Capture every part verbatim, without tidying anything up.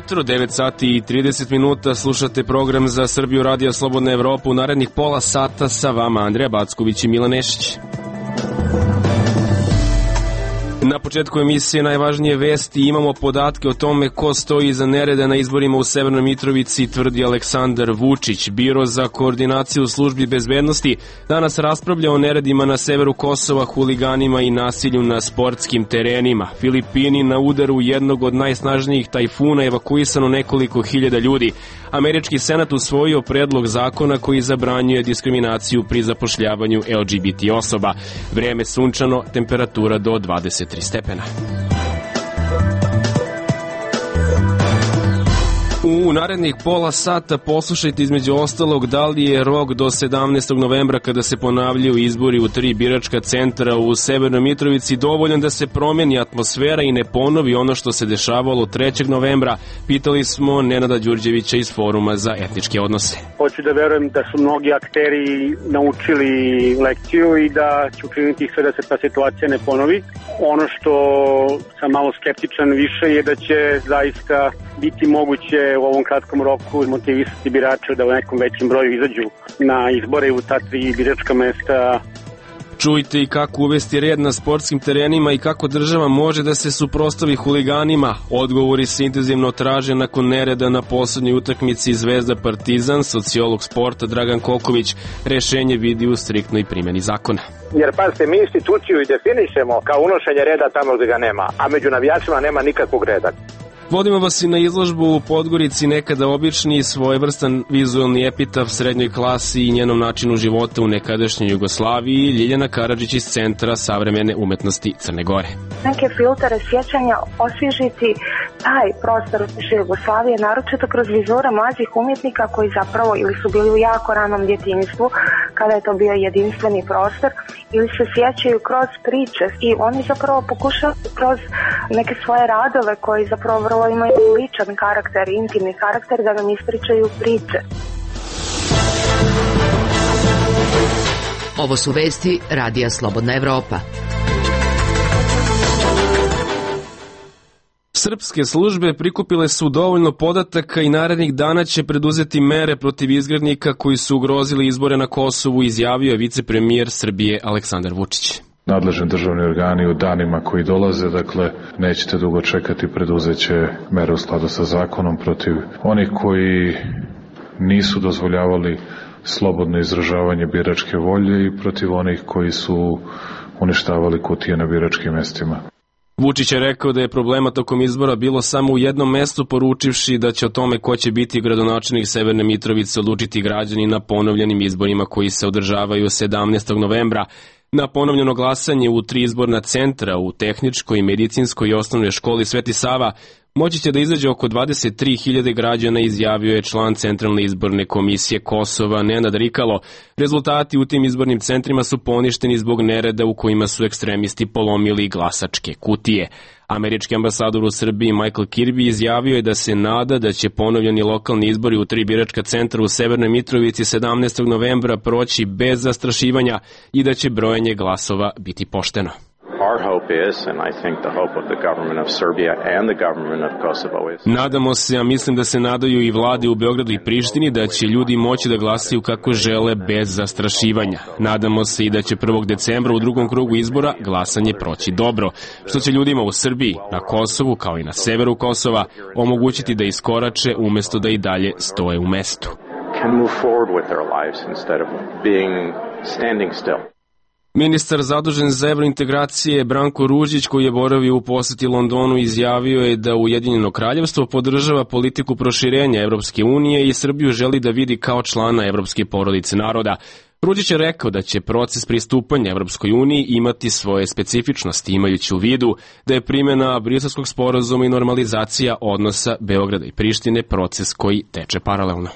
Jutro, devet sati i trideset minuta, slušate program za Srbiju Radija Slobodna Evropa. U narednih pola sata sa vama Andreja Backović i Milan Nešić. Na početku emisije najvažnije vesti, imamo podatke o tome ko stoji iza nereda na izborima u Severnoj Mitrovici, tvrdi Aleksandar Vučić. Biro za koordinaciju u službi bezbednosti danas raspravlja o neredima na severu Kosova, huliganima i nasilju na sportskim terenima. Filipini na udaru jednog od najsnažnijih tajfuna, evakuisano nekoliko hiljada ljudi. Američki senat usvojio predlog zakona koji zabranjuje diskriminaciju pri zapošljavanju L G B T osoba. Vreme sunčano, temperatura do dvadeset tri stepena. U narednih pola sata poslušajte između ostalog da li je rok do sedamnaestog novembra kada se ponavljaju izbori u tri biračka centra u Severnoj Mitrovici dovoljan da se promeni atmosfera i ne ponovi ono što se dešavalo trećeg novembra. Pitali smo Nenada Đurđevića iz Foruma za etničke odnose. Hoću da verujem da su mnogi akteri naučili lekciju i da će učiniti sve da se ta situacija ne ponovi. Ono što sam malo skeptičan više je da će zaista biti moguće u ovom kratkom roku motivisati birače da u nekom većem broju izađu na izbore u ta tri biračka mesta. Čujte i kako uvesti red na sportskim terenima i kako država može da se suprotstavi huliganima. Odgovori se intenzivno traže nakon nereda na poslednjoj utakmici Zvezda Partizan. Sociolog sporta Dragan Koković rešenje vidi u striktnoj primjeni zakona. Jer pazite, mi instituciju i definišemo kao unošenje reda tamo gde ga nema, a među navijačima nema nikakvog reda. Vodimo vas i na izložbu u Podgorici, nekada obični, svojevrstan vizualni epitaf srednjoj klasi i njenom načinu života u nekadašnjoj Jugoslaviji. Ljiljana Karadžić iz Centra savremene umetnosti Crne Gore. Neke filtere sjećanja osvježiti taj prostor bivše Jugoslavije, naročito kroz vizure mlađih umjetnika koji zapravo ili su bili u jako ranom djetinjstvu, kada je to bio jedinstveni prostor, ili se sjećaju kroz priče i oni zapravo pokušaju kroz neke svoje radove koji zapravo vrlo imaju ličan karakter, intimni karakter, da nam ispričaju priče. Ovo su vesti Radija Slobodna Evropa. Srpske službe prikupile su dovoljno podataka i narednih dana će preduzeti mere protiv izgrednika koji su ugrozili izbore na Kosovu, izjavio je vicepremijer Srbije Aleksandar Vučić. Nadležni državni organi u danima koji dolaze, dakle, nećete dugo čekati, preduzeće mere u skladu sa zakonom protiv onih koji nisu dozvoljavali slobodno izražavanje biračke volje i protiv onih koji su uništavali kutije na biračkim mestima. Vučić je rekao da je problema tokom izbora bilo samo u jednom mestu, poručivši da će o tome ko će biti gradonačelnik Severne Mitrovice odlučiti građani na ponovljenim izborima koji se održavaju sedamnaestog novembra. Na ponovljeno glasanje u tri izborna centra u Tehničkoj, Medicinskoj i Osnovnoj školi Sveti Sava moći će da izađe oko dvadeset tri hiljade građana, izjavio je član Centralne izborne komisije Kosova Nenad Rikalo. Rezultati u tim izbornim centrima su poništeni zbog nereda u kojima su ekstremisti polomili glasačke kutije. Američki ambasador u Srbiji Michael Kirby izjavio je da se nada da će ponovljeni lokalni izbori u tri biračka centra u Severnoj Mitrovici sedamnaestog novembra proći bez zastrašivanja i da će brojanje glasova biti pošteno. Nadamo se, a mislim da se nadaju i vlade u Beogradu i Prištini, da će ljudi moći da glasaju kako žele bez zastrašivanja. Nadamo se i da će prvog decembra u drugom krugu izbora glasanje proći dobro, što će ljudima u Srbiji, na Kosovu kao i na severu Kosova omogućiti da iskorače umesto da i dalje stoje u mestu. Ministar zadužen za evrointegracije Branko Ružić, koji je boravio u poseti Londonu, izjavio je da Ujedinjeno kraljevstvo podržava politiku proširenja Evropske unije i Srbiju želi da vidi kao člana Evropske porodice naroda. Ružić je rekao da će proces pristupanja Evropskoj uniji imati svoje specifičnosti, imajući u vidu da je primjena Briselskog sporazuma i normalizacija odnosa Beograda i Prištine proces koji teče paralelno.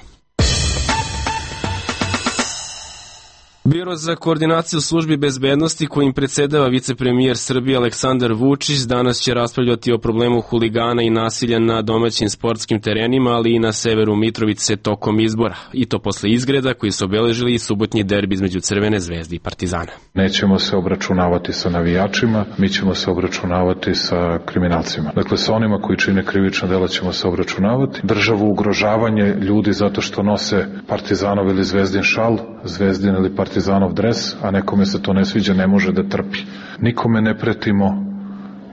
Biro za koordinaciju službi bezbednosti kojim predsedava vicepremijer Srbije Aleksandar Vučić danas će raspravljati o problemu huligana i nasilja na domaćim sportskim terenima, ali i na severu Mitrovice tokom izbora. I to posle izgreda koji su obeležili i subotnji derbi između Crvene zvezde i Partizana. Nećemo se obračunavati sa navijačima, mi ćemo se obračunavati sa kriminalcima. Dakle, sa onima koji čine krivična dela ćemo se obračunavati. Državu ugrožavanje ljudi zato što nose Partizanov ili Zvezdin šal, Zvezdin ili Partizanov Partizanov dres, a nekome se to ne sviđa, ne može da trpi. Nikome ne pretimo,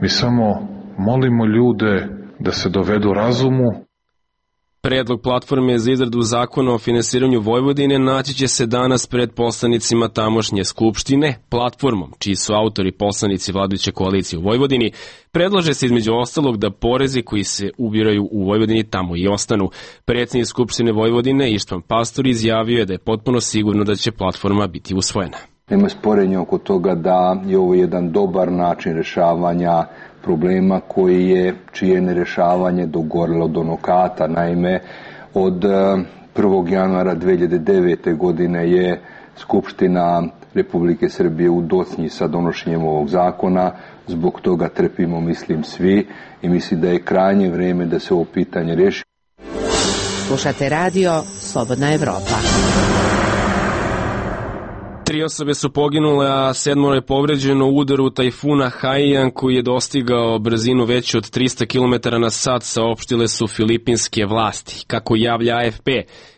mi samo molimo ljude da se dovedu razumu. Predlog platforme za izradu zakona o finansiranju Vojvodine naći će se danas pred poslanicima tamošnje skupštine. Platformom, čiji su autori poslanici vladajuće koalicije u Vojvodini, predlaže se između ostalog da porezi koji se ubiraju u Vojvodini tamo i ostanu. Predsjednik Skupštine Vojvodine Ištvan Pastor izjavio je da je potpuno sigurno da će platforma biti usvojena. Nema sporenja oko toga da je ovo jedan dobar način rešavanja problema koji je, čije nerešavanje dogorilo do nokata. Naime, od prvog januara dve hiljade devete. godine je Skupština Republike Srbije u docnji sa donošenjem ovog zakona. Zbog toga trpimo, mislim, svi i mislim da je krajnje vreme da se ovo pitanje reši. Slušate radio Slobodna Evropa. Tri osobe su poginule, a sedmoro je povređeno u udaru tajfuna Haiyan koji je dostigao brzinu veću od trista kilometara na sat, saopštile su filipinske vlasti. Kako javlja A F P,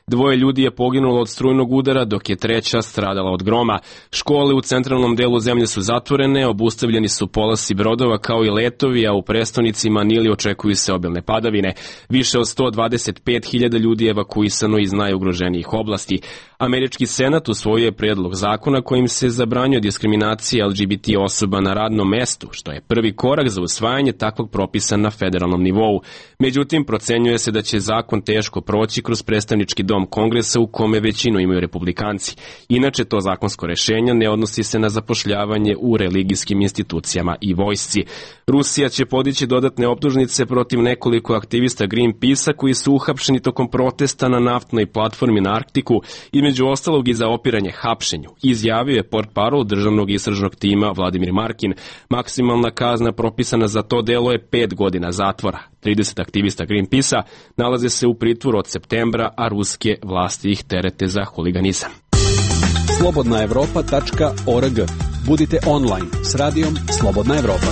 dvoje ljudi je poginulo od strujnog udara, dok je treća stradala od groma. Škole u centralnom delu zemlje su zatvorene, obustavljeni su polasi brodova kao i letovi, a u prestonici Manili očekuju se obilne padavine. Više od sto dvadeset pet hiljada ljudi je evakuisano iz najugroženijih oblasti. Američki senat usvojio je predlog zakona kojim se zabranjuje diskriminacija L G B T osoba na radnom mestu, što je prvi korak za usvajanje takvog propisa na federalnom nivou. Međutim, procenjuje se da će zakon teško proći kroz predstavnički dom Kongresa u kome većinu imaju republikanci. Inače, to zakonsko rešenje ne odnosi se na zapošljavanje u religijskim institucijama i vojsci. Rusija će podići dodatne optužnice protiv nekoliko aktivista Greenpeace-a koji su uhapšeni tokom protesta na naftnoj platformi na Arktiku, između ostalog i za opiranje hapšenju. Izjavio je portparol državnog istražnog tima Vladimir Markin. Maksimalna kazna propisana za to delo je pet godina zatvora. trideset aktivista Greenpeace-a nalaze se u pritvoru od septembra, a ruske vlasti ih terete za huliganizam. slobodna evropa tačka org. Budite online s radijom Slobodna Evropa.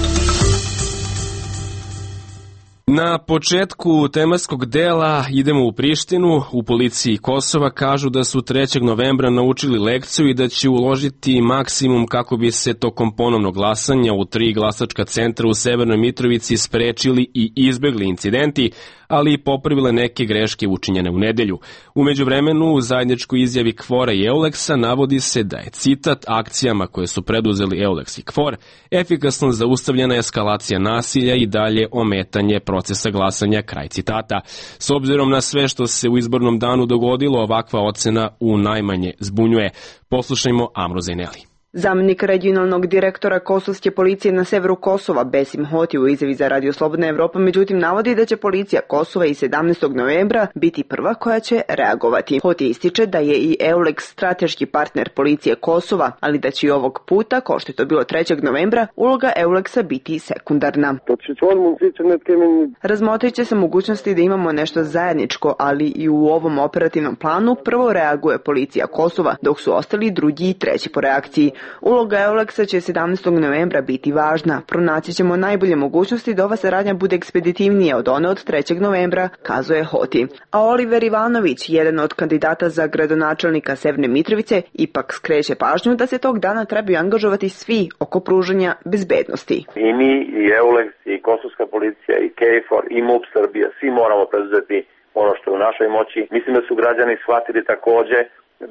Na početku tematskog dela idemo u Prištinu. U policiji Kosova kažu da su trećeg novembra naučili lekciju i da će uložiti maksimum kako bi se tokom ponovnog glasanja u tri glasačka centra u Severnoj Mitrovici sprečili i izbegli incidenti, ali i popravile neke greške učinjene u nedelju. U međuvremenu, u zajedničkoj izjavi Kvora i Euleksa navodi se da je, citat, akcijama koje su preduzeli Euleks i Kvor efikasno zaustavljena eskalacija nasilja i dalje ometanje procesa glasanja, kraj citata. S obzirom na sve što se u izbornom danu dogodilo, ovakva ocena u najmanje zbunjuje. Poslušajmo Amro Zaineli. Zamjenik regionalnog direktora kosovske policije na severu Kosova, Besim Hoti, u izjavi za Radio Slobodna Evropa, međutim navodi da će policija Kosova i sedamnaestog novembra biti prva koja će reagovati. Hoti ističe da je i Euleks strateški partner policije Kosova, ali da će i ovog puta, kao što je to bilo trećeg novembra, uloga Euleksa biti sekundarna. Razmotrit će se mogućnosti da imamo nešto zajedničko, ali i u ovom operativnom planu prvo reaguje policija Kosova, dok su ostali drugi i treći po reakciji. Uloga Euleksa će sedamnaestog novembra biti važna. Pronaći ćemo najbolje mogućnosti da ova saradnja bude ekspeditivnija od one od trećeg novembra, kazuje Hoti. A Oliver Ivanović, jedan od kandidata za gradonačelnika Severne Mitrovice, ipak skreće pažnju da se tog dana trebaju angažovati svi oko pružanja bezbednosti. I mi, i Euleks, i Kosovska policija, i K F O R, i M U P Srbija, svi moramo preduzeti ono što je u našoj moći. Mislim da su građani shvatili takođe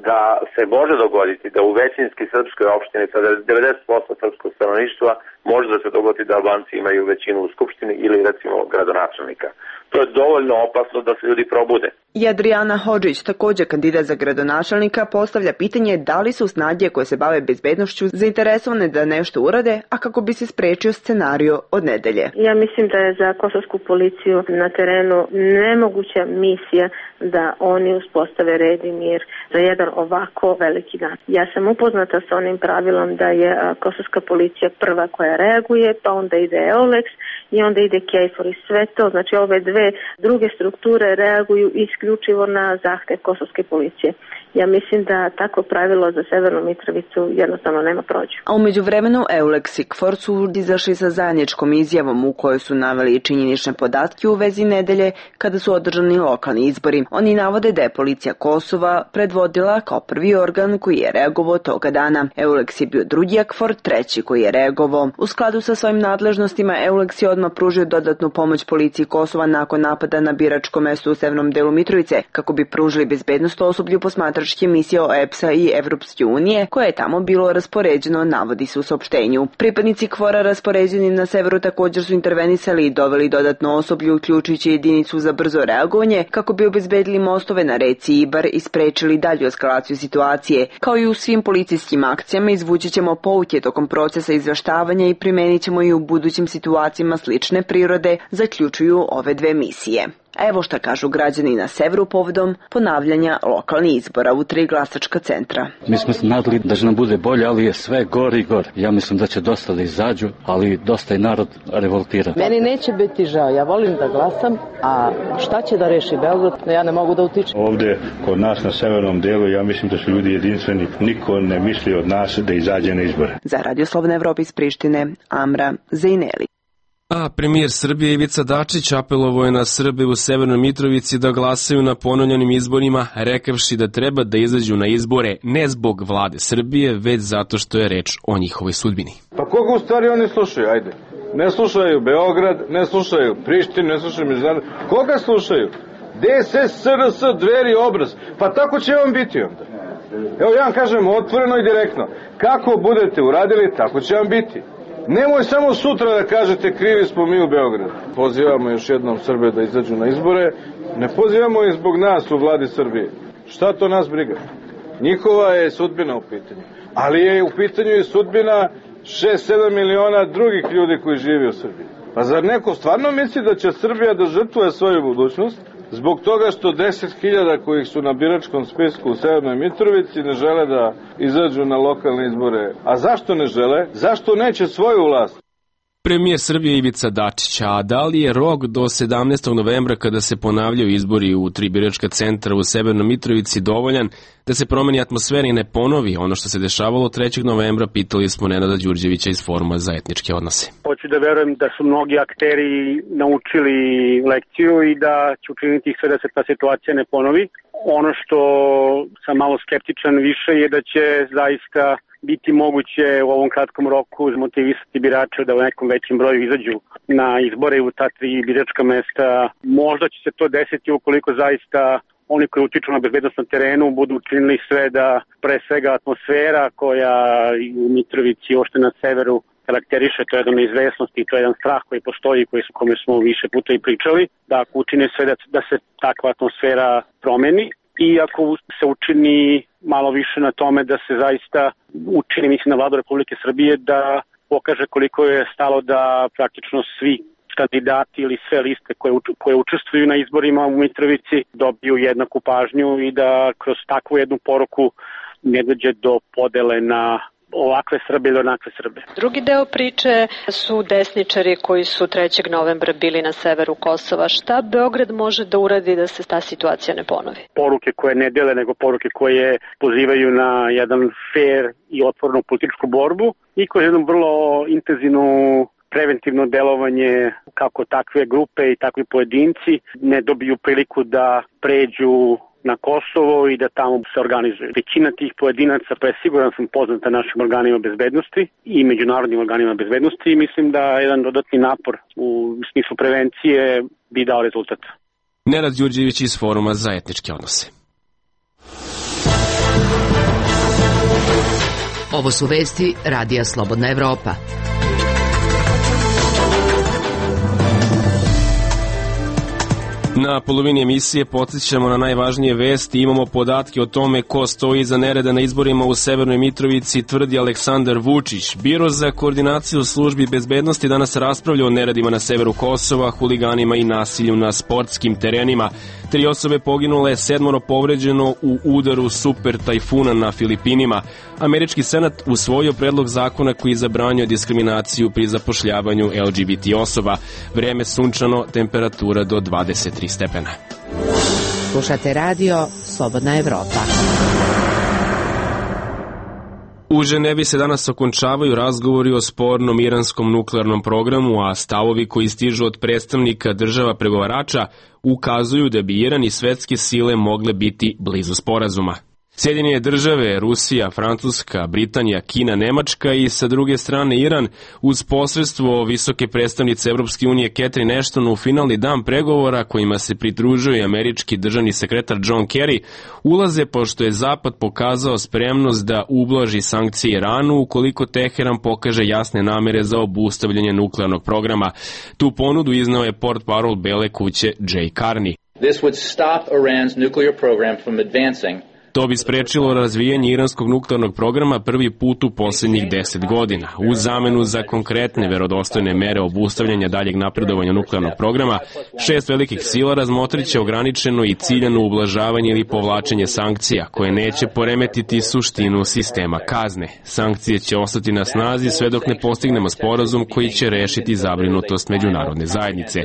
da se može dogoditi da u većinski srpskoj opštini sa devedeset posto srpskog stanovništva može da se dogodi da Albanci imaju većinu u skupštini ili recimo gradonačelnika. To je dovoljno opasno da se ljudi probude. I Adriana Hodžić, također kandidat za gradonačelnika, postavlja pitanje da li su snage koje se bave bezbednošću zainteresovane da nešto urade, a kako bi se sprečio scenario od nedelje. Ja mislim da je za kosovsku policiju na terenu nemoguća misija da oni uspostave red i mir za jedan ovako veliki dan. Ja sam upoznata sa onim pravilom da je kosovska policija prva koja reaguje, pa onda ide EULEX i onda ide KFOR i sve to. Znači ove dve druge strukture reaguju isključivo na zahtev kosovske policije. Ja mislim da takvo pravilo za Severnu Mitrovicu jednostavno nema prođu. A umeđu vremenu EULEX i KFOR su izašli sa zajedničkom izjavom u kojoj su naveli činjenične podatke u vezi nedelje kada su održani lokalni izbori. Oni navode da je policija Kosova predvodila kao prvi organ koji je reagovao toga dana. EULEX je bio drugi, a KFOR treći koji je reagovao. U skladu sa svojim nadležnostima EULEX je odmah pružio dodatnu pomoć policiji Kosova nakon napada na biračko mesto u severnom delu Mitrovice, kako bi pružili bezbednost osoblju posmatračke misije O E P S-a i Evropske unije, koje je tamo bilo raspoređeno, navodi se u saopštenju. Pripadnici KFOR-a raspoređeni na severu također su intervenisali i doveli dodatno osoblje, uključujući jedinicu za brzo reagovanje, kako bi obezbedili mostove na reci Ibar i sprečili dalju eskalaciju situacije. Kao i u svim policijskim akcijama, izvući ćemo pouke tokom procesa izveštavanja i primenit ćemo i u budućim situacijama slične prirode, zaključuju ove dve misije. Evo šta kažu građani na severu povodom ponavljanja lokalnih izbora u tri glasačka centra. Mi smo se nadali da će nam bude bolje, ali je sve gori i gori. Ja mislim da će dosta da izađu, ali dosta i narod revoltira. Meni neće biti žao, ja volim da glasam, a šta će da reši Beograd, ja ne mogu da utičem. Ovde kod nas na severnom delu ja mislim da su ljudi jedinstveni. Niko ne misli od nas da izađe na izbore. Za Radio Slobodna Evropa iz Prištine, Amra Zejneli. A premijer Srbije Ivica Dačić apelovao je na Srbe u Severnoj Mitrovici da glasaju na ponovljenim izborima, rekavši da treba da izađu na izbore ne zbog vlade Srbije, već zato što je reč o njihovoj sudbini. Pa koga u stvari oni slušaju, ajde? Ne slušaju Beograd, ne slušaju Prištinu, ne slušaju međunarodne. Koga slušaju? D S S, S R S, Dveri, Obraz. Pa tako će vam biti onda. Evo ja vam kažem otvoreno i direktno. Kako budete uradili, tako će vam biti. Nemoj samo sutra da kažete krivi smo mi u Beogradu. Pozivamo još jednom Srbe da izađu na izbore. Ne pozivamo i zbog nas u vladi Srbije. Šta to nas briga? Njihova je sudbina u pitanju. Ali je u pitanju i sudbina šest sedam miliona drugih ljudi koji žive u Srbiji. Pa zar neko stvarno misli da će Srbija da žrtvuje svoju budućnost zbog toga što deset hiljada kojih su na biračkom spisku u Severnoj Mitrovici ne žele da izađu na lokalne izbore? A zašto ne žele? Zašto neće svoju vlast? Premijer Srbije Ivica Dačić, a da li je rok do sedamnaestog novembra kada se ponavljaju izbori u tri biračka centra u Severnoj Mitrovici dovoljan da se promeni atmosfera i ne ponovi ono što se dešavalo trećeg novembra, pitali smo Nenada Đurđevića iz Foruma za etničke odnose. Hoću da verujem da su mnogi akteri naučili lekciju i da će učiniti sve da se ta situacija ne ponovi. Ono što sam malo skeptičan više je da će zaista biti moguće u ovom kratkom roku motivisati birače da u nekom većem broju izađu na izbore u ta tri biračka mesta. Možda će se to desiti ukoliko zaista oni koji utiču na bezbednost na terenu budu učinili sve da pre svega atmosfera koja u Mitrovici ošte na severu karakteriše, to je jedna neizvesnost i to je jedan strah koji postoji, koji su, kome smo više puta i pričali, da ako učine sve da, da se takva atmosfera promeni. I ako se učini malo više na tome da se zaista učini, mislim, na vladu Republike Srbije da pokaže koliko je stalo da praktično svi kandidati ili sve liste koje, koje učestvuju na izborima u Mitrovici dobiju jednaku pažnju i da kroz takvu jednu poruku ne dođe do podele na ovakve Srbe ili onakve Srbe. Drugi deo priče su desničari koji su trećeg novembra bili na severu Kosova. Šta Beograd može da uradi da se ta situacija ne ponovi? Poruke koje ne dele, nego poruke koje pozivaju na jedan fair i otvorenu političku borbu i kroz jednu vrlo intenzivnu preventivno delovanje kako takve grupe i takvi pojedinci ne dobiju priliku da pređu na Kosovo i da tamo se organizuju. Većina tih pojedinaca, pa je siguran sam poznata našim organima bezbednosti i međunarodnim organima bezbednosti i mislim da jedan dodatni napor u smislu prevencije bi dao rezultat. Nenad Đurđević iz Foruma za etničke odnose. Ovo su vesti Radija Slobodna Evropa. Na polovini emisije podsjećamo na najvažnije vesti, imamo podatke o tome ko stoji iza nereda na izborima u Severnoj Mitrovici, tvrdi Aleksandar Vučić. Biro za koordinaciju službi bezbednosti danas raspravlja o neredima na severu Kosova, huliganima i nasilju na sportskim terenima. Tri osobe poginule, sedmoro povređeno u udaru super tajfuna na Filipinima. Američki senat usvojio predlog zakona koji zabranjuje diskriminaciju pri zapošljavanju L G B T osoba. Vreme sunčano, temperatura do dvadeset tri stepena. Slušate radio Slobodna Evropa. U Ženevi se danas okončavaju razgovori o spornom iranskom nuklearnom programu, a stavovi koji stižu od predstavnika država pregovarača ukazuju da bi Iran i svetske sile mogle biti blizu sporazuma. Sjedinjene države, Rusija, Francuska, Britanija, Kina, Nemačka i sa druge strane Iran uz posredstvo visoke predstavnice Evropske unije Catherine Ashton u finalni dan pregovora kojima se pridružuje američki državni sekretar John Kerry ulaze pošto je Zapad pokazao spremnost da ublaži sankcije Iranu ukoliko Teheran pokaže jasne namere za obustavljanje nuklearnog programa. Tu ponudu izneo je portparol Bele kuće Jay Carney. This would stop Iran's nuclear program from advancing. To bi sprečilo razvijanje iranskog nuklearnog programa prvi put u posljednjih deset godina. U zamenu za konkretne verodostojne mere obustavljanja daljeg napredovanja nuklearnog programa, šest velikih sila razmotrit će ograničeno i ciljano ublažavanje ili povlačenje sankcija, koje neće poremetiti suštinu sistema kazne. Sankcije će ostati na snazi sve dok ne postignemo sporazum koji će rešiti zabrinutost međunarodne zajednice.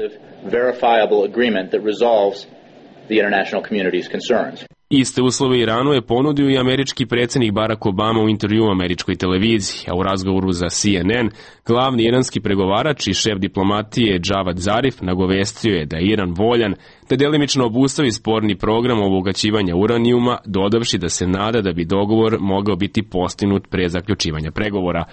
Iste uslove Iranu je ponudio i američki predsjednik Barack Obama u intervjuu američkoj televiziji, a u razgovoru za C N N glavni iranski pregovarač i šef diplomatije Javad Zarif nagovestio je da je Iran voljan da delimično obustavi sporni program obogaćivanja uranijuma, dodavši da se nada da bi dogovor mogao biti postignut pre zaključivanja pregovora.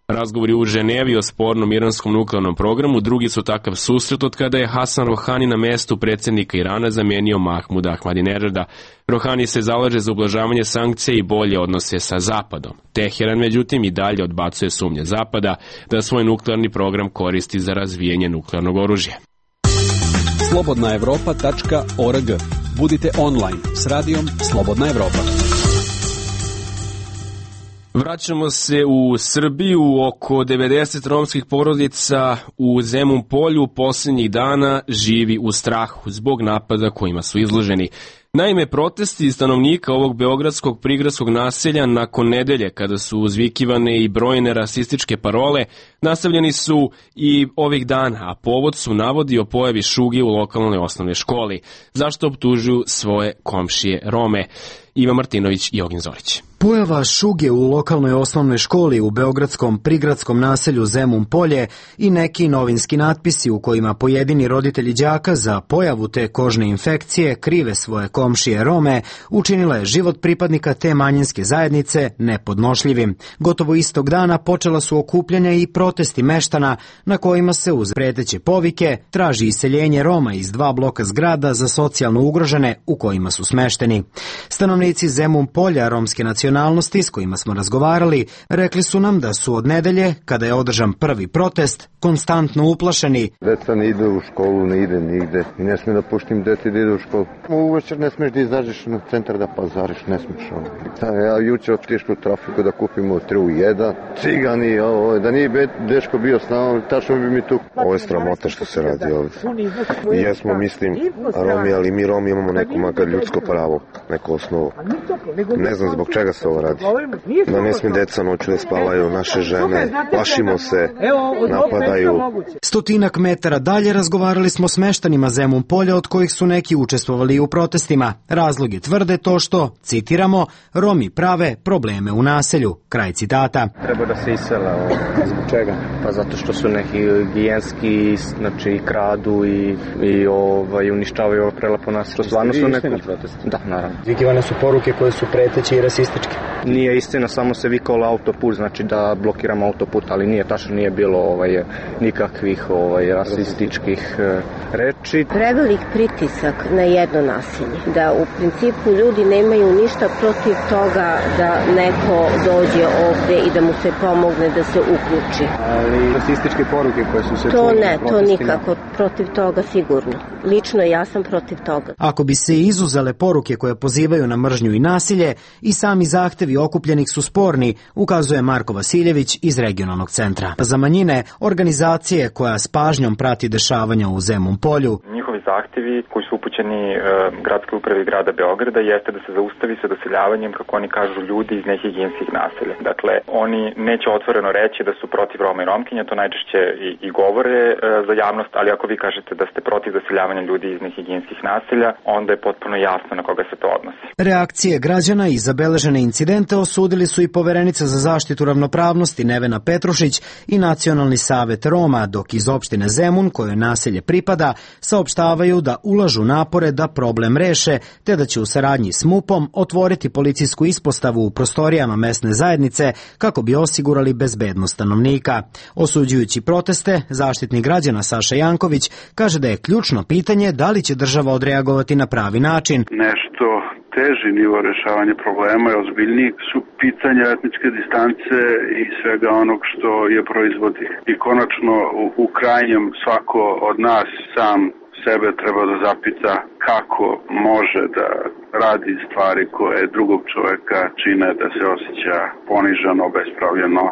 Razgovori u Ženevi o spornom iranskom nuklearnom programu drugi su takav susret od kada je Hasan Rohani na mestu predsjednika Irana zamenio Mahmuda Ahmadinejada. Rohani se zalaže za ublažavanje sankcija i bolje odnose sa Zapadom. Teheran, međutim, i dalje odbacuje sumnje Zapada da svoj nuklearni program koristi za razvijanje nuklearnog oružja. slobodna evropa tačka org. Budite online s radijom Slobodna Evropa. Vraćamo se u Srbiju. Oko devedeset romskih porodica u Zemun Polju posljednjih dana živi u strahu zbog napada kojima su izloženi. Naime, protesti stanovnika ovog beogradskog prigradskog naselja nakon nedelje, kada su uzvikivane i brojne rasističke parole, nastavljeni su i ovih dana, a povod su navodi o pojavi šuge u lokalnoj osnovnoj školi. Zašto optužuju svoje komšije Rome? Iva Martinović i Ogin Zorić. Pojava šuge u lokalnoj osnovnoj školi u beogradskom prigradskom naselju Zemun Polje i neki novinski natpisi u kojima pojedini roditelji đaka za pojavu te kožne infekcije krive svoje komšije Rome učinila je život pripadnika te manjinske zajednice nepodnošljivim. Gotovo istog dana počela su okupljanja i protesti meštana na kojima se uz preteće povike traži iseljenje Roma iz dva bloka zgrada za socijalno ugrožene u kojima su smešteni. Stanovnici Zemun Polja romske nacionalnosti s kojima smo razgovarali rekli su nam da su od nedelje, kada je održan prvi protest, konstantno uplašeni. Deca ne ide u školu, ne ide nigde i ne smije da puštim deti da ide u školu. Uvečer ne smiješ da izađeš na centar da pazariš, ne smiješ ovo. Ja jučer otišao u trafiku da kupimo tri u jedan, cigani, ovo, da nije dečko bio s nama, tačno bi mi tu. Ovo je sramota što se radi ovdje. I jesmo, mislim, Romi, ali mi Romi imamo neko makar ljudsko pravo, neko osnovu. Ne znam zbog čega se ovo radi. Da ne smije deca noću da spavaju, naše žene, plašimo se, napadaju. Stotinak metara dalje razgovarali smo s meštanima Zemun Polja, od kojih su neki učestvovali u protestima. Razloge tvrde to što, citiramo, Romi prave probleme u naselju. Kraj citata. Treba da se isela. Zbog čega? Pa zato što su neki higijenski, znači kradu i, i ovaj, uništavaju ovo prelepo naselje. Stvarno su neki protesti. Da, naravno. Vikivane su poruke koje su preteće i rasističke. Nije istina, samo se vikalo autoput, znači da blokiramo autoput, ali nije tačno, nije bilo ovaj, nikakvih ovaj, rasističkih e, reči. Prevelik pritisak na jedno nasilje, da u principu ljudi nemaju ništa protiv toga da neko dođe ovde i da mu se pomogne da se uključi. Ali rasističke poruke koje su se... To ne, to nikako, protiv toga sigurno. Lično ja sam protiv toga. Ako bi se izuzele poruke koje pozivaju na mržnju i nasilje, i sami zahtevi okupljenih su sporni, ukazuje Marko Vasiljević iz regionalnog centra za manjine, organizacije koja s pažnjom prati dešavanja u Zemun Polju. Njihovi zahtevi koji su upućeni e, gradskoj upravi grada Beograda jeste da se zaustavi sa doseljavanjem, kako oni kažu, ljudi iz nehigijenskih naselja. Dakle, oni neće otvoreno reći da su protiv Roma i Romkinja, to najčešće i, i govore e, za javnost, ali ako vi kažete da ste protiv doseljavanja ljudi iz nehigijenskih naselja, onda je potpuno jasno na koga se to odnosi. Reakcije građana i zabeležene incidente osudili su i Poverenica za zaštitu ravnopravnosti Nevena Petrušić i Nacionalni savet Roma, dok iz opštine Zemun, kojoj naselje pripada, saopštavaju da ulažu napore da problem reše, te da će u saradnji s MUP-om otvoriti policijsku ispostavu u prostorijama mesne zajednice kako bi osigurali bezbednost stanovnika. Osuđujući proteste, zaštitnik građana Saša Janković kaže da je ključno pitanje da li će država odreagovati na pravi način. Nešto teži nivo rešavanja problema i ozbiljniji su pitanja etničke distance i svega onog što je proizvodi. I konačno u, u krajnjem svako od nas sam sebe treba da zapita kako može da radi stvari koje drugog čoveka čine da se osjeća poniženo, obespravljeno,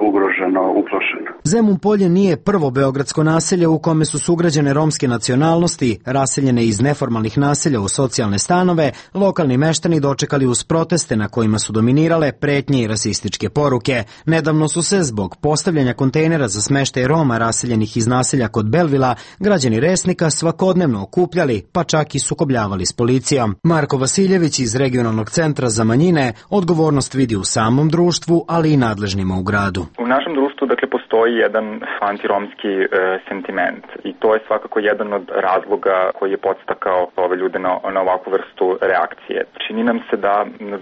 ugroženo, uplošeno. Zemun Polje nije prvo beogradsko naselje u kome su sugrađane romske nacionalnosti, raseljene iz neformalnih naselja u socijalne stanove, lokalni meštani dočekali uz proteste na kojima su dominirale pretnje i rasističke poruke. Nedavno su se zbog postavljanja kontejnera za smeštaj Roma raseljenih iz naselja kod Belvila građani Resnika svakodnevno okupljali, pa čak i sukobljavali s policijom. Marko Vasiljević iz regionalnog centra za manjine odgovornost vidi u samom društvu, ali i nadležnima u gradu. U našem društvu, dakle, postoji jedan antiromski e, sentiment i to je svakako jedan od razloga koji je podstakao ove ljude na, na ovakvu vrstu reakcije. Čini nam se da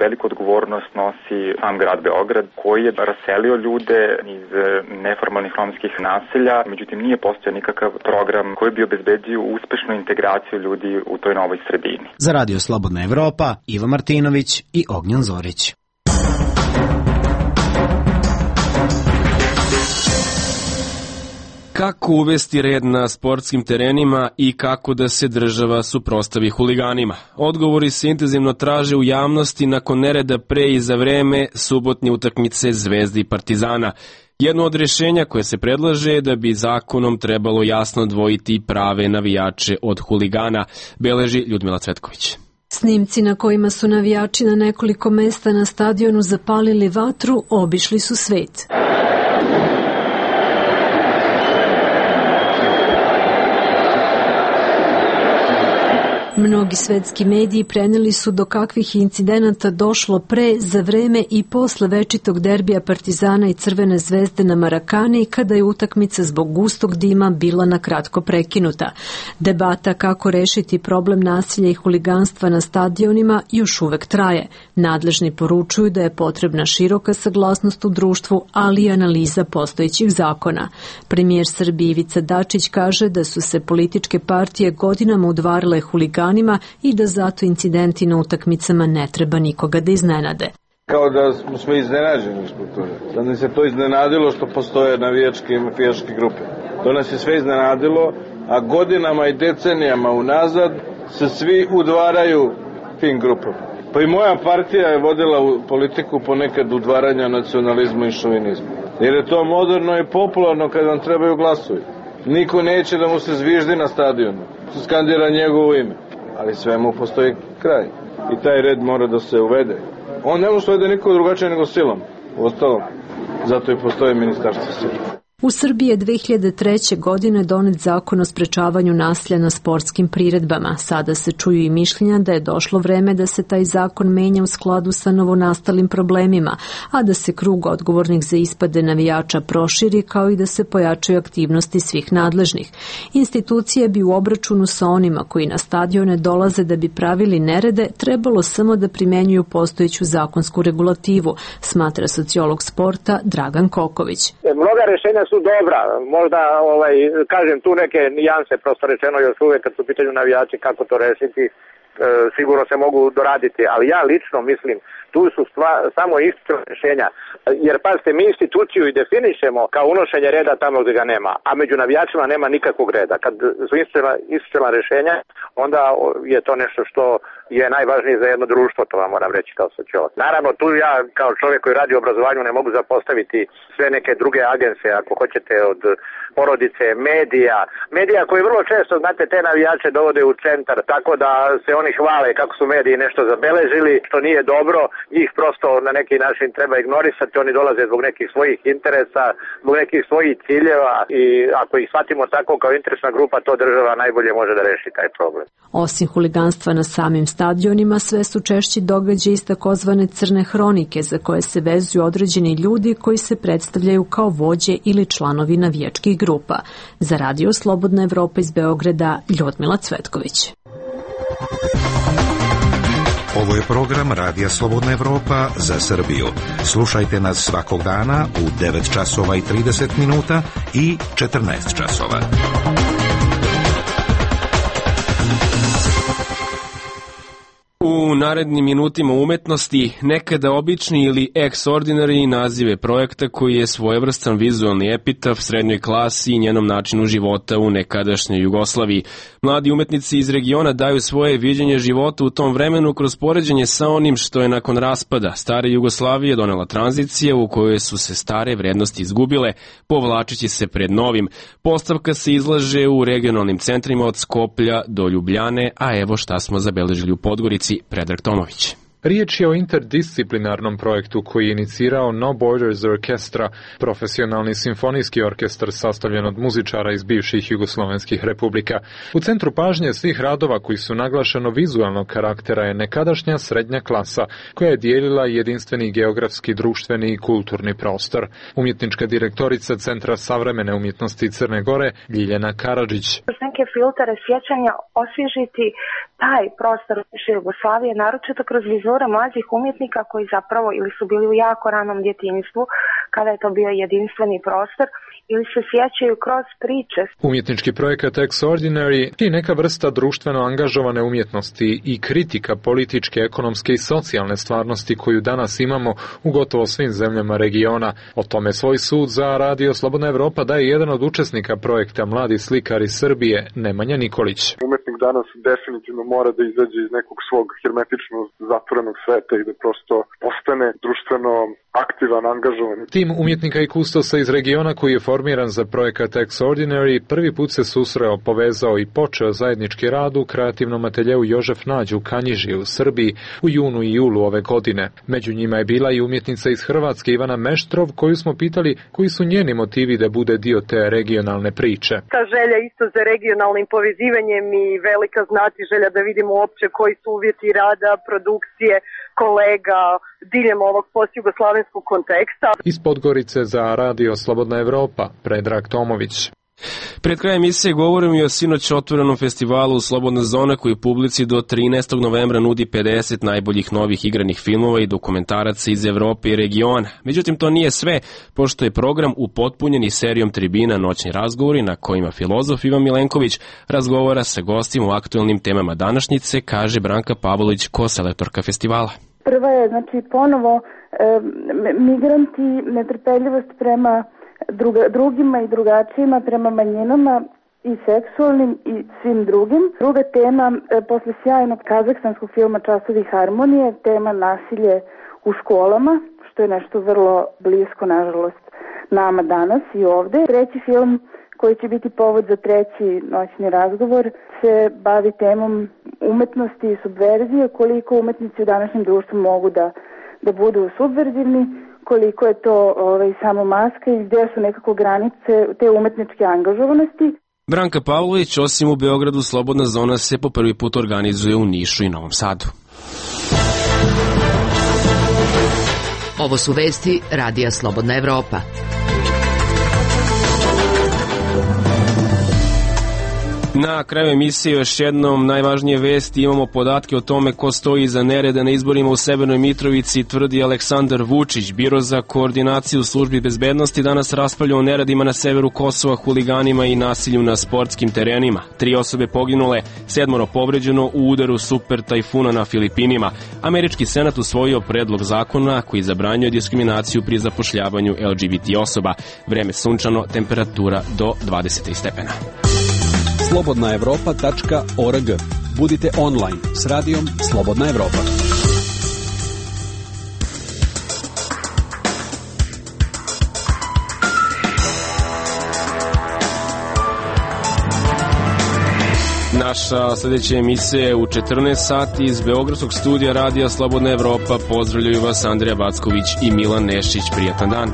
veliku odgovornost nosi sam grad Beograd, koji je raselio ljude iz neformalnih romskih naselja, međutim nije postojao nikakav program koji bi obezbedio uspešnu integraciju ljudi u toj novoj sredini. Za Radio Slobodna Evropa, Iva Martinović i Ognjan Zorić. Kako uvesti red na sportskim terenima i kako da se država suprotstavi huliganima? Odgovori se intenzivno traže u javnosti nakon nereda pre i za vreme subotnje utakmice Zvezde i Partizana. Jedno od rješenja koje se predlaže je da bi zakonom trebalo jasno odvojiti prave navijače od huligana, beleži Ljudmila Cvetković. Snimci na kojima su navijači na nekoliko mesta na stadionu zapalili vatru obišli su svet. Mnogi svetski mediji preneli su do kakvih incidenata došlo pre, za vreme i posle večitog derbija Partizana i Crvene zvezde na Marakani, kada je utakmica zbog gustog dima bila na kratko prekinuta. Debata kako rešiti problem nasilja i huliganstva na stadionima još uvek traje. Nadležni poručuju da je potrebna široka saglasnost u društvu, ali i analiza postojećih zakona. Premijer Srbije Ivica Dačić kaže da su se političke partije godinama udvarile huliganima i da zato incidenti na utakmicama ne treba nikoga da iznenade. Kao da smo iznenađeni zbog toga. Da nas je to iznenadilo što postoje navijačke i mafijaške grupe. To nas je sve iznenadilo, a godinama i decenijama unazad se svi udvaraju tim grupama. Pa i moja partija je vodila politiku ponekad udvaranja nacionalizmu i šovinizmu. Jer je to moderno i popularno kad vam trebaju glasovi. Niko neće da mu se zviždi na stadionu, skandira njegovo ime. Ali svemu postoji kraj. I taj red mora da se uvede. On ne može da uvede niko drugačije nego silom. Uostalom, zato i postoje ministarstvo sile. U Srbiji je dve hiljade treće. godine donet zakon o sprečavanju nasilja na sportskim priredbama. Sada se čuju i mišljenja da je došlo vreme da se taj zakon menja u skladu sa novonastalim problemima, a da se krug odgovornih za ispade navijača proširi, kao i da se pojačaju aktivnosti svih nadležnih. Institucije bi u obračunu sa onima koji na stadione dolaze da bi pravili nerede trebalo samo da primenjuju postojeću zakonsku regulativu, smatra sociolog sporta Dragan Koković. Mnoga rešenja su dobra, možda ovaj, kažem tu neke nijanse, prosto rečeno još uvek kad su u pitanju navijači kako to rešiti, sigurno se mogu doraditi, ali ja lično mislim tu su stva, samo ispravna rješenja, jer pazite, mi instituciju i definišemo kao unošenje reda tamo gdje ga nema, a među navijačima nema nikakvog reda. Kad su ispravna rješenja, onda je to nešto što je najvažnije za jedno društvo, to vam moram reći kao sociolog. Naravno, tu ja kao čovjek koji radi u obrazovanju ne mogu zapostaviti sve neke druge agencije, ako hoćete, od porodice, medija, medija koji vrlo često, znate, te navijače dovode u centar, tako da se oni hvale kako su mediji nešto zabeležili, što nije dobro, njih prosto na neki način treba ignorisati, oni dolaze zbog nekih svojih interesa, zbog nekih svojih ciljeva i ako ih shvatimo tako kao interesna grupa, to država najbolje može da reši taj problem. Osim huliganstva na samim stadionima, sve su češći događaji iz takozvane crne hronike za koje se vezuju određeni ljudi koji se predstavljaju kao vođe ili članovi navijačkih grupa. Za Radio Slobodna Evropa iz Beograda, Ljudmila Cvetković. Ovo je program Radija Slobodna Evropa za Srbiju. Slušajte nas svakog dana u devet časova i trideset minuta i četrnaest časova. U narednim minutima umetnosti nekada obični ili extraordinary nazive projekta koji je svojevrstan vizualni epitaf srednjoj klasi i njenom načinu života u nekadašnjoj Jugoslaviji. Mladi umetnici iz regiona daju svoje viđenje života u tom vremenu kroz poređenje sa onim što je nakon raspada stare Jugoslavije donela tranzicija u kojoj su se stare vrednosti izgubile, povlačići se pred novim. Postavka se izlaže u regionalnim centrima od Skoplja do Ljubljane, a evo šta smo zabeležili u Podgorici. Predrag Tomović. Riječ je o interdisciplinarnom projektu koji je inicirao No Borders Orkestra, profesionalni simfonijski orkestar sastavljen od muzičara iz bivših jugoslovenskih republika. U centru pažnje svih radova koji su naglašeno vizualnog karaktera je nekadašnja srednja klasa, koja je dijelila jedinstveni geografski, društveni i kulturni prostor. Umjetnička direktorica Centra savremene umjetnosti Crne Gore, Ljiljana Karadžić. Neke filtere sjećanja osvježiti taj prostor Jugoslavije, naročito kroz vizure mlađih umjetnika koji zapravo ili su bili u jako ranom djetinjstvu, kada je to bio jedinstveni prostor, ili se sjećaju kroz priče. Umjetnički projekat Extraordinary je neka vrsta društveno angažovane umjetnosti i kritika političke, ekonomske i socijalne stvarnosti koju danas imamo u gotovo svim zemljama regiona. O tome svoj sud za Radio Slobodna Evropa daje jedan od učesnika projekta, mladi slikar iz Srbije, Nemanja Nikolić. Umjetnik danas definitivno mora da izađe iz nekog svog hermetično zatvorenog sveta i da prosto postane društveno aktivan, angažovan. Tim umjetnika i kustosa iz regiona koji je formiran za projekat Extraordinary prvi put se susreo, povezao i počeo zajednički rad u kreativnom ateljeu Jožef Nađ u Kanjiži u Srbiji u junu i julu ove godine. Među njima je bila i umjetnica iz Hrvatske Ivana Meštrov, koju smo pitali koji su njeni motivi da bude dio te regionalne priče. Ta želja isto za regionalnim povezivanjem i velika znati želja da vidimo uopće koji su uvjeti rada, produkcije, kolega diljem ovog postjugoslavenskog konteksta. Iz Podgorice za Radio Slobodna Evropa, Predrag Tomović. Pred krajem emisije govorimo i o sinoć otvorenom festivalu Slobodna zona koji publici do trinaestog novembra nudi pedeset najboljih novih igranih filmova i dokumentaraca iz Evrope i regiona. Međutim, to nije sve, pošto je program upotpunjen i serijom tribina Noćni razgovori na kojima filozof Ivan Milenković razgovara sa gostima u aktuelnim temama današnjice, kaže Branka Pavlović, koselektorka festivala. Prva je, znači, ponovo e, migranti, netrpeljivost prema druga, drugima i drugačijima, prema manjinama i seksualnim i svim drugim. Druga tema, e, posle sjajnog kazahstanskog filma Časovi harmonije, tema nasilje u školama, što je nešto vrlo blisko, nažalost, nama danas i ovde. Treći film koji će biti povod za treći noćni razgovor se bavi temom umetnosti i subverzije, koliko umetnici u današnjem društvu mogu da, da budu subverzivni, koliko je to ovaj, samo maska i gdje su nekako granice te umetničke angažovanosti. Branka Pavlović, osim u Beogradu, Slobodna zona se po prvi put organizuje u Nišu i Novom Sadu. Ovo su vesti Radija Slobodna Evropa. Na kraju emisije još jednom najvažnije vesti, imamo podatke o tome ko stoji iza nereda na izborima u Severnoj Mitrovici, tvrdi Aleksandar Vučić. Biro za koordinaciju službi bezbednosti danas raspravlja o neredima na severu Kosova, huliganima i nasilju na sportskim terenima. Tri osobe poginule, sedmoro povređeno u udaru super tajfuna na Filipinima. Američki senat usvojio predlog zakona koji zabranjuje diskriminaciju pri zapošljavanju L G B T osoba. Vreme sunčano, temperatura do dvadeset stepena. slobodna evropa tačka org. Budite online s radijom Slobodna Evropa. Naša sljedeća emisija je u četrnaest sati iz Beogradskog studija Radija Slobodna Evropa. Pozdravljaju vas Andrija Backović i Milan Nešić. Prijatan dan.